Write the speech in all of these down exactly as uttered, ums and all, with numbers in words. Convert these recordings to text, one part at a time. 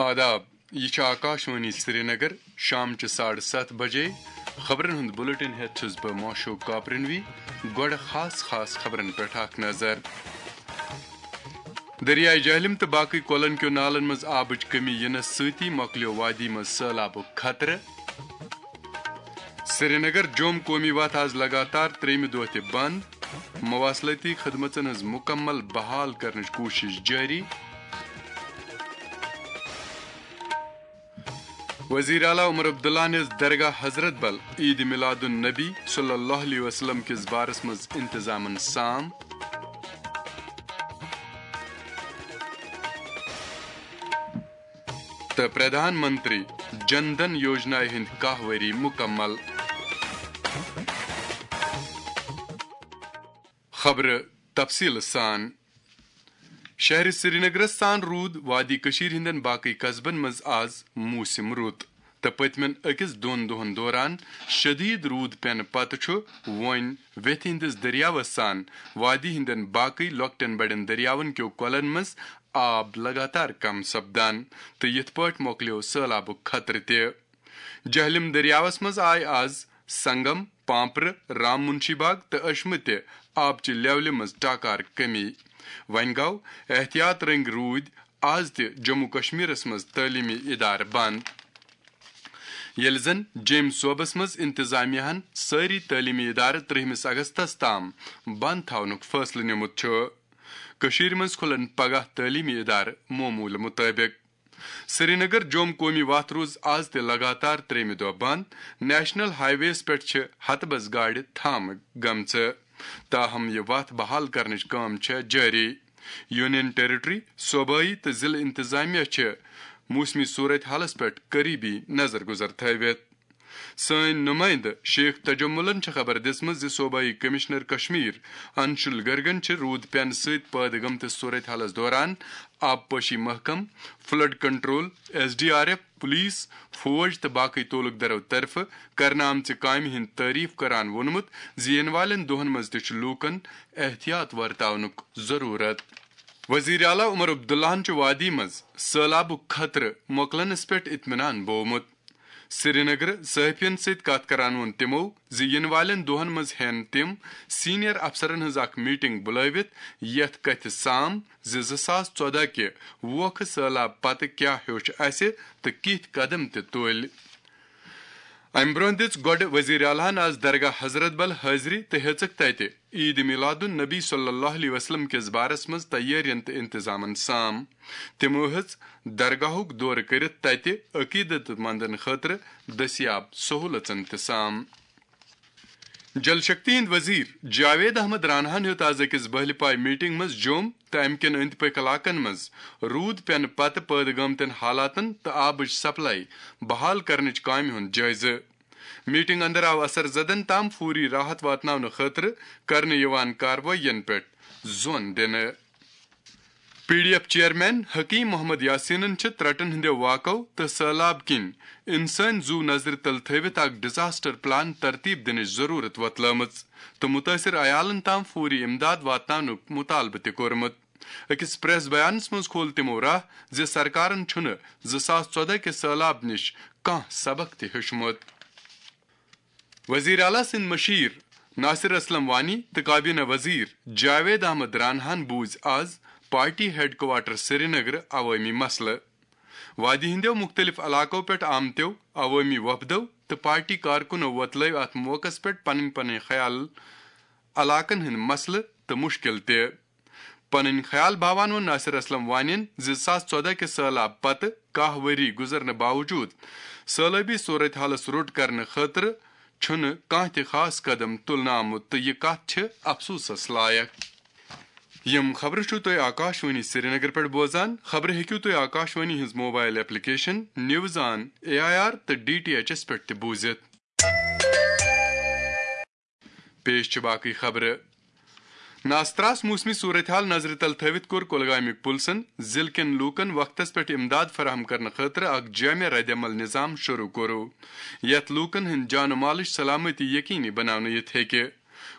آداب، یہِ چھِ آکاشوانی سرینگر۔ شامچہِ ساڑٕ ستھ بجے خبرن ہُنٛد بُلٹن ہٮ۪تھ چھُس بہٕ موشوق کاپرنوی۔ گۄڈٕ خاص خاص خبرن پٮ۪ٹھ اکھ نظر۔ دٔریاے جہلِم تہٕ باقٕے کۄلن کیو نالن منٛز آبٕچ کٔمی یِنس سۭتی مۄکلیو وادی منٛز سٔہلابُک خطرٕ۔ سرینگر جوم قومی وتھ آز لگاتار ترٛیٚیمہِ دۄہ تہِ بند۔ مواصلٲتی خدمژن ہٕنٛز مُکمل بحال کرنٕچ کوٗشش جٲری۔ وزیر اعلیٰ عمر عبداللہ نِس درگاہ حضرت بل عید میلاد النبی صلی اللہ علیہ وسلم کِس بارس منٛز انتظامن سام۔ تہٕ پردھان منتری جن دھن یوجنا ہٕنٛدۍ کاہ ؤری مُکمل۔ خبرٕ تفصیٖل سان۔ شہر سرینگرس سان روٗد وادی کٔشیٖر ہٕنٛدٮ۪ن باقٕے قصبن منٛز آز موسم رُت، تہٕ پٔتمٮ۪ن أکِس دۄن دۄہن دوران شدیٖد روٗد پٮ۪نہٕ پتہٕ چھُ وۄنۍ ویتھِ ہٕنٛدِس دٔریاوس سان وادی ہٕنٛدٮ۪ن باقٕے لۄکٹٮ۪ن بڑٮ۪ن دٔریاون کیو کۄلن منٛز آب لگاتار کم سپدان، تہٕ یِتھ پٲٹھۍ مۄکلیو سٔہلابُک خطرٕ تہِ۔ جہلم دٔریاوس منٛز آے آز سنگم، پامپرٕ، رام منشی باغ تہٕ اشمہٕ تہِ آبچہِ لیولہِ منٛز ٹاکار کمی۔ وۄنۍ گوٚو، احتیاط رٔنگۍ روٗدۍ آز تہِ جموں کشمیرس منٛز تعلیمی ادارٕ بند، ییٚلہِ زن جیٚمۍ صوبس منٛز انتظامیہ ہن سٲری تعلیمی ادارٕ ترٛہمِس اگستس تام بند تھاونُک فٲصلہٕ نیومُت چھُ۔ کٔشیٖرِ منٛز کھُلن پگاہ تعلیمی ادارٕ معموٗلہٕ مُطٲبِق۔ سرینگر جوم قومی وتھ روٗز آز تہِ لگاتار ترٛیٚیمہِ دۄہ بند۔ نیشنل ہائی ویز پٮ۪ٹھ چھِ ہتہٕ بس گاڑِ تھامہٕ گٔمژٕ، تاہم یہِ وتھ بحال کرنٕچ کٲم چھےٚ جٲری۔ یونین ٹیریٹری، صوبٲئی تہٕ ضلعہٕ انتظامیہ چھِ موسمی صورت حالس پٮ۪ٹھ قریبی نظر گزر تھٲوِتھ۔ سٲنۍ نمائندٕ شیخ تجملن چھِ خبر دِژمٕژ زِ صوبائی کمشنر کشمیر انشول گرگن چھِ روٗد پینہٕ سۭتۍ پٲدٕ گٔمتِس صورت حالس دوران آبپاشی محکمہٕ، flood control, S D R F, police, فوج تہٕ باقٕے تعلق دارو طرفہٕ کرنہٕ آمژِ کامہِ ہٕنٛد تعریف کران ووٚنمُت زِ یِنہٕ والٮ۪ن دۄہن منٛز تہِ چھُ لوٗکن احتیاط ورتاونُک ضروٗرت۔ وزیر اعلیٰ عمر عبداللہن چھُ وادی منٛز سٔہلابُک خطرٕ مۄکلنس پٮ۪ٹھ اطمینان بوومُت۔ سرینگرٕ صحافین سۭتۍ کتھ کران ووٚن تِمو زِ یِنہٕ والٮ۪ن دۄہن منٛز ہٮ۪ن تِم سینئر افسرن ہٕنٛز اکھ میٹنگ بُلٲوِتھ، یتھ کتھِ سام زِ زٕ ساس ژۄدہ کہِ ووکھٕ سٔہلاب پتہٕ کیاہ ہیوٚچھ اسہِ تہٕ کِتھۍ قدم تہِ تُلۍ۔ امہِ برونٛہہ دِژ گۄڈٕ وزیر اعلیٰ ہن آز درگاہ حضرت بل حٲضری تہٕ ہیژٕکھ تتہِ عید میلاد النبی صلی اللہ علیہ وسلم کِس بارس منٛز تیٲرین تہٕ انتظامن سام۔ تِمو ہیژ درگاہُک دورٕ کٔرِتھ تتہِ عقیدت مندن خٲطرٕ دٔستیاب سہولژن تہِ سام۔ جل شکتی ہٕنٛدۍ وزیر جاوید احمد راناہن ہیوٚت آز أکِس بہلہِ پاے میٹنگ منٛز جوٚم تہٕ امہِ کٮ۪ن أنٛدۍ پٔکۍ علاقن منٛز روٗد پینہٕ پتہٕ پٲدٕ گٔمتٮ۪ن حالاتن تہٕ آبٕچ سپلائی بحال کرنٕچ کامہِ ہُنٛد جٲیزٕ۔ میٹنگ اندر آو اثر زدن تام فوری راحت واتناونہٕ خٲطرٕ کرنہٕ یِوان کاروٲیین پٮ۪ٹھ زون دِنہٕ۔ P D F chairman Hakim Muhammad یاسینن چھِ ترٹن ہٕنٛدیو واقعو تہٕ سٔہلاب کِنۍ انسٲنۍ زُو نظرِ تل تھٲوِتھ اکھ ڈیزاسٹر پلان ترتیب دِنٕچ ضروٗرت وۄتلٲومٕژ تہٕ مُتٲثر عیالن تام فوری امداد واتناونُک مُطالبہٕ تہِ کوٚرمُت۔ أکِس پریس بیانس منٛز کھول تِمو راہ زِ سرکارن چھُنہٕ زٕ ساس ژۄدہ کہِ سٔہلاب نِش کانٛہہ سبق تہِ ہیوٚچھمُت۔ وزیر اعلیٰ سٕنٛدۍ مشیر ناصر اسلم وانی تہٕ کابینہ وزیر جاوید احمد راناہن بوٗزۍ آز پارٹی ہیڈ کوارٹر سرینگرٕ عوٲمی مسلہٕ۔ وادی ہٕنٛدیو مُختٔلِف علاقو پٮ۪ٹھ آمتیو عوٲمی وفدو تہٕ پارٹی کارکُنو وۄتلٲوۍ اَتھ موقعس پٮ۪ٹھ پنٕنۍ پنٕنۍ خیال، علاقن ہٕنٛدۍ مسلہٕ تہٕ مُشکِل تہِ۔ پنٕنۍ خیال باوان ووٚن ناصر اسلم وانین زِ زٕ ساس ژۄدہ کہِ سٔہلاب پتہٕ کاہ ؤری گُزرنہٕ باوجوٗد سٲلٲبی صورت حالس روٚٹ کرنہٕ خٲطرٕ چھُنہٕ کانٛہہ تہِ خاص قدم تُلنہٕ آمُت تہٕ یہِ کتھ چھِ افسوسس لایق۔ یِم خبرٕ چھِو تُہۍ آکاشوانی سرینگر پٮ۪ٹھ بوزان۔ خبرٕ ہیٚکِو تُہۍ آکاشوانی ہٕنٛز mobile application news on A I R تہٕ ڈی ٹی ایچ ایس پٮ۪ٹھ تہِ بوٗزِتھ۔ پیش چھِ باقٕے خبرٕ۔ ناستراس موسمی صورتحال نظرِ تل تھٲوِتھ کوٚر کۄلگامیُک پُلسن ضلعہٕ کٮ۪ن لوٗکن وقتس پٮ۪ٹھ امداد فراہم کرنہٕ خٲطرٕ اکھ جامع ردعمل نظام شروع کوٚرُو، یتھ لوٗکن ہٕنٛدۍ جان و مالٕچ سلامتی یقینی بناونہٕ یِتھ ہیٚکہِ۔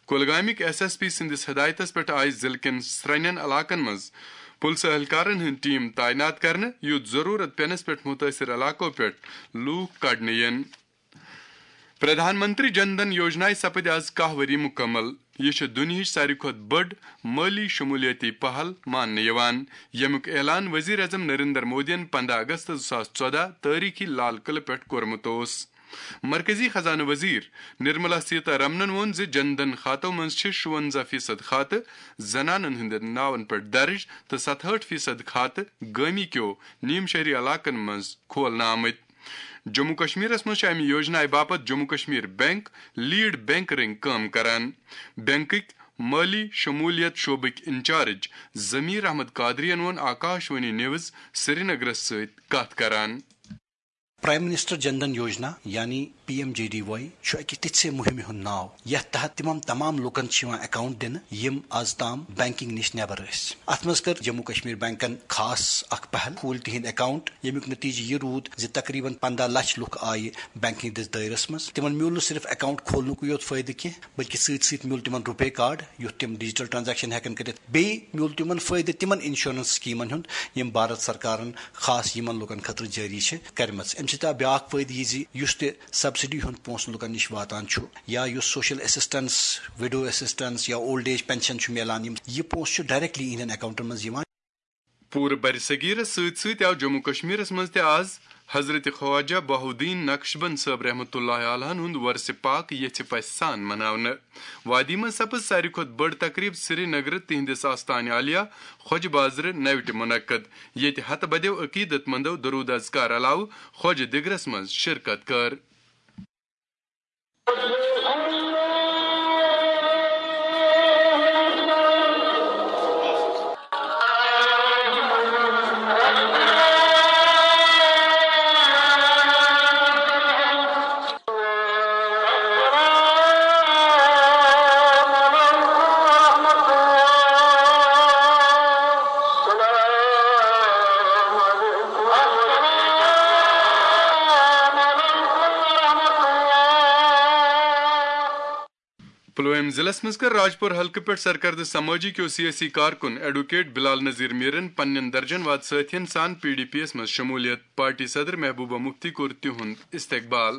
کۄلگامیُک ایس ایس پی سٕنٛدِس ہدایتس پٮ۪ٹھ آیہِ ضلعہٕ کٮ۪ن سرٛنٮ۪ن علاقن منٛز پُلسہٕ اہلکارن ہٕنٛدۍ ٹیم تعینات کرنہٕ، یُتھ ضروٗرت پیٚنس پٮ۪ٹھ مُتٲثِر علاقو پٮ۪ٹھ لوٗکھ کڑنہٕ یِن۔ پردھان منتری جن دھن یوجنایہِ سپٕدۍ آز کاہ ؤری مُکمل۔ یہِ چھِ دُنیاہٕچ ساروی کھۄتہٕ بٔڑ مٲلی شمولیتی پہل ماننہٕ یِوان، ییٚمیُک اعلان وزیر اعظم نریندر مودیَن پنٛداہ اگست زٕ ساس ژۄداہ تٲریخی لال قلعہٕ پٮ۪ٹھ کوٚرمُت اوس۔ مرکزی خزانہٕ وزیر نرملا سیتا رمنن ووٚن زِ جن دھن کھاتو منٛز چھِ شُونزاہ فیصد کھاتہٕ زنانن ہٕنٛدٮ۪ن ناون پٮ۪ٹھ درٕج تہٕ ستہٲٹھ فیصد کھاتہٕ گٲمی کیو نیم شہری علاقن منٛز کھولنہٕ آمٕتۍ۔ جموں کشمیرس منٛز چھُ امہِ یوجنایہِ باپتھ Jammu Kashmir bank lead bank رنگ کٲم کران۔ بینکٕکۍ مٲلی شمولیت شعبٕکۍ انچارج ضمیر احمد قادریَن ووٚن آکاش وانی نیوز سرینگرس سۭتۍ کتھ کران۔ پرایم منسٹر جن دھن یوجنا یعنی پی ایم جے ڈی واے چھُ اکہِ تِژھِ مُہِمہِ ہُنٛد ناو یتھ تحت تِمن تمام لوٗکن چھِ یِوان اکاؤنٹ دِنہٕ یِم از تام بینکنگ نِش نٮ۪بر ٲسۍ۔ اتھ منٛز کٔر جموں کشمیر بینکن خاص اکھ پہل، کھوٗلۍ تِہنٛدۍ اکاؤنٹ، ییٚمیُک نتیجہٕ یہِ روٗد زِ تقریباً پنٛداہ لچھ لُکھ آیہِ بینکنگ دِس دٲیرس منٛز۔ تِمن میوٗل نہٕ صرف اکاؤنٹ کھولنُکُے یوت فٲیدٕ کینٛہہ، بلکہِ سۭتۍ سۭتۍ میوٗل تِمن روپے کارڈ، یُتھ تِم ڈیجیٹل ٹرانزیکشن ہٮ۪کن کٔرِتھ۔ بیٚیہِ میوٗل تِمن فٲیدٕ تِمن انشورنس سکیمن ہُنٛد، یِم بھارت سرکارن خاص یِمن لوٗکن خٲطرٕ جٲری چھِ کٔرمٕژ۔ اَمہِ سۭتۍ آو بیٛاکھ فٲیدٕ یہِ زِ یُس تہِ سبسڈی ہُنٛد پونٛسہٕ لوٗکن نِش واتان چھُ یا یُس سوشل اسسٹنس، وڈو اسسٹنس یا اولڈ ایج پینشن چھُ میلان، یِم، یہِ پونٛسہٕ چھُ ڈائریکٹلی یِہنٛدٮ۪ن اکاؤنٹن منٛز یِوان۔ پوٗرٕ برصغیرس سۭتۍ سۭتۍ آو جموں کشمیرس منٛز تہِ آز حضرت خواجہ بہاؤالدین نقشبند صٲب رحمتہ اللہ علیہ ہُنٛد ورثِ پاک یژھِ پژھِ سان مناونہٕ۔ وادی منٛز سپٕز ساروی کھۄتہٕ بٔڑ تقریب سرینگرٕ تِہنٛدِس آستانہِ عالیہ خۄجہِ بازرٕ نوِ ٹہِ منعقد، ییٚتہِ ہتہٕ بدیو عقیدت مندو درود اذکار علاوٕ خۄجہِ دِگرس منٛز شرکت کٔر۔ پلوامہ ضلعس منٛز کٔر راجپور حلقہٕ پٮ۪ٹھ سرکردٕ سمٲجی کیو سیٲسی کارکُن ایڈووکیٹ بلال نذیر میرن پننٮ۪ن درجن واد سٲتھین سان پی ڈی پی یس منٛز شمولیت۔ پارٹی صدر محبوبہ مفتی کوٚر تِہُنٛد استقبال۔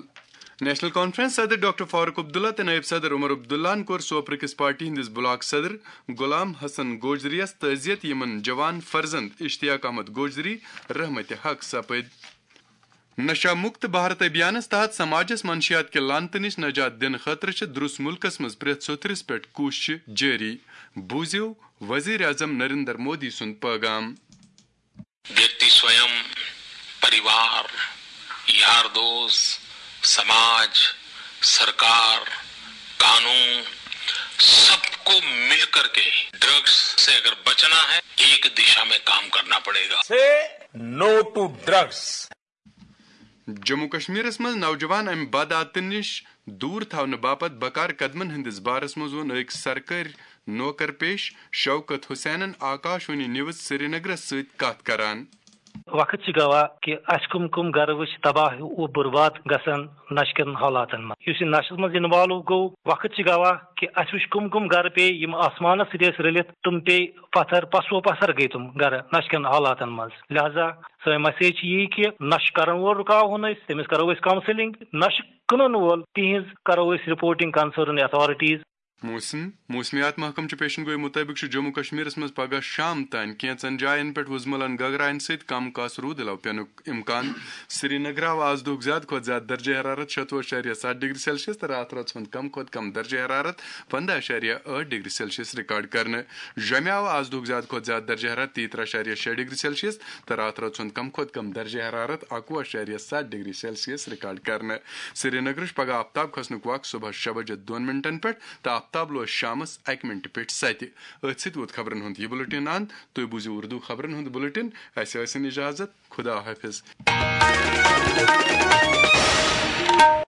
نیشنل کانفرنس صدر ڈاکٹر فاروق عبداللہ تہٕ نائب صدر عمر عبداللہن کوٚر سوپرٕ کِس پارٹی ہٕنٛدِس بلاک صدر غلام حسن گوجریَس تعزیت، یِمن جوان فرزند اشتیاق احمد گوجری رحمتِ حق سپٕدۍ۔ نشہ مکت بھارت ابھیانس تحت سماجس منشیات کہِ لعنتہٕ نِش نجات دِنہٕ خٲطرٕ چھِ درُس مُلکس منٛز پرٛٮ۪تھ ژوٚتھرِس پٮ۪ٹھ کوٗششہٕ جٲری۔ بوٗزِو وزیر اعظم نریندر مودی سُنٛد پٲغام۔ व्यक्ति स्वयं, परिवार, यार दोस्त, समाज, सरकार, कानून, सबको मिलकर के ड्रग्स से अगर बचना है, एक दिशा में काम करना पड़ेगा। Say no to drugs. Jammu کشمیرس منٛز نوجوان امہِ بدعاتہٕ نِش دوٗر تھاونہٕ باپتھ بکار قدمن ہٕنٛدِس بارس منٛز ووٚن أکۍ سرکٲرۍ نوکر پیش شوکت حسینن آکاش وانی نیوز سرینگرس سۭتۍ کتھ کران۔ وقت چھِ گواہ کہِ اسہِ کم کم گرٕ وٕچھ تباہ و برباد گژھان نشہٕ کٮ۪ن حالاتن منٛز۔ یُس یہِ نشس منٛز انوالو گوٚو، وقت چھِ گواہ کہِ اسہِ وٕچھ کم کم گرٕ پیٚیہِ یِم آسمانس سۭتۍ ٲسۍ رٔلِتھ، تِم پیٚیہِ پتھر، پسو پتھر گٔیہِ تِم گرٕ نشہٕ کٮ۪ن حالاتن منٛز۔ لہذا سٲنۍ مسیج چھِ یی کہِ نشہٕ کرن وول رُکاوہون أسۍ، تٔمِس کرو أسۍ کونسلنگ، نشہٕ کٕنن وول تِہنٛز کرو أسۍ رپورٹنگ کنسرن اتھارٹیز۔ موسم، موسمیات محکمہٕ چہِ پیشن گویی مُطٲبِق چھُ جموں کشمیرس منٛز پگہہ شام تام کینٛژن جاین پٮ۪ٹھ وُزملن گگراین سۭتۍ کم کاسہٕ روٗد علاوٕ پینُک امکان۔ سرینگر آو آز دُہُک زیادٕ کھۄتہٕ زیادٕ درجہ حرارت شتوُہ اعشاریہ ستھ ڈگری سیلسیس تہٕ راتھ رٲژ ہُنٛد کم کھۄتہٕ کم درجہ حرارت پنٛداہ اعشاریہ ٲٹھ ڈگری سیلسیس ریکارڈ کرنہٕ۔ جوٚمہِ آو آز دُہُک زیادٕ کھۄتہٕ زیادٕ درجہ حرارت تیٚیہِ ترٛہ اعشاریہ شےٚ ڈگری سیلسیس تہٕ راتھ رٲژ ہُنٛد کم کھۄتہٕ کم درجہ حرارت اکوُہ اعشاریہ ستھ ڈگری سیلسیس ریکارڈ کرنہٕ۔ سرینگرٕچ پگہہ آفتاب کھسنُک وق صبحس شےٚ بجے دۄن منٹن پٮ۪ٹھ تہٕ آفتاب لوس شامس اکہِ منٹہِ پٮ۪ٹھ ستہِ۔ أتھۍ سۭتۍ ووت خبرن ہُنٛد یہِ بُلٹن اند۔ تُہۍ بوٗزِو اردو خبرن ہُنٛد بُلٹن۔ اسہِ ٲسِن اجازت۔ خدا حافظ۔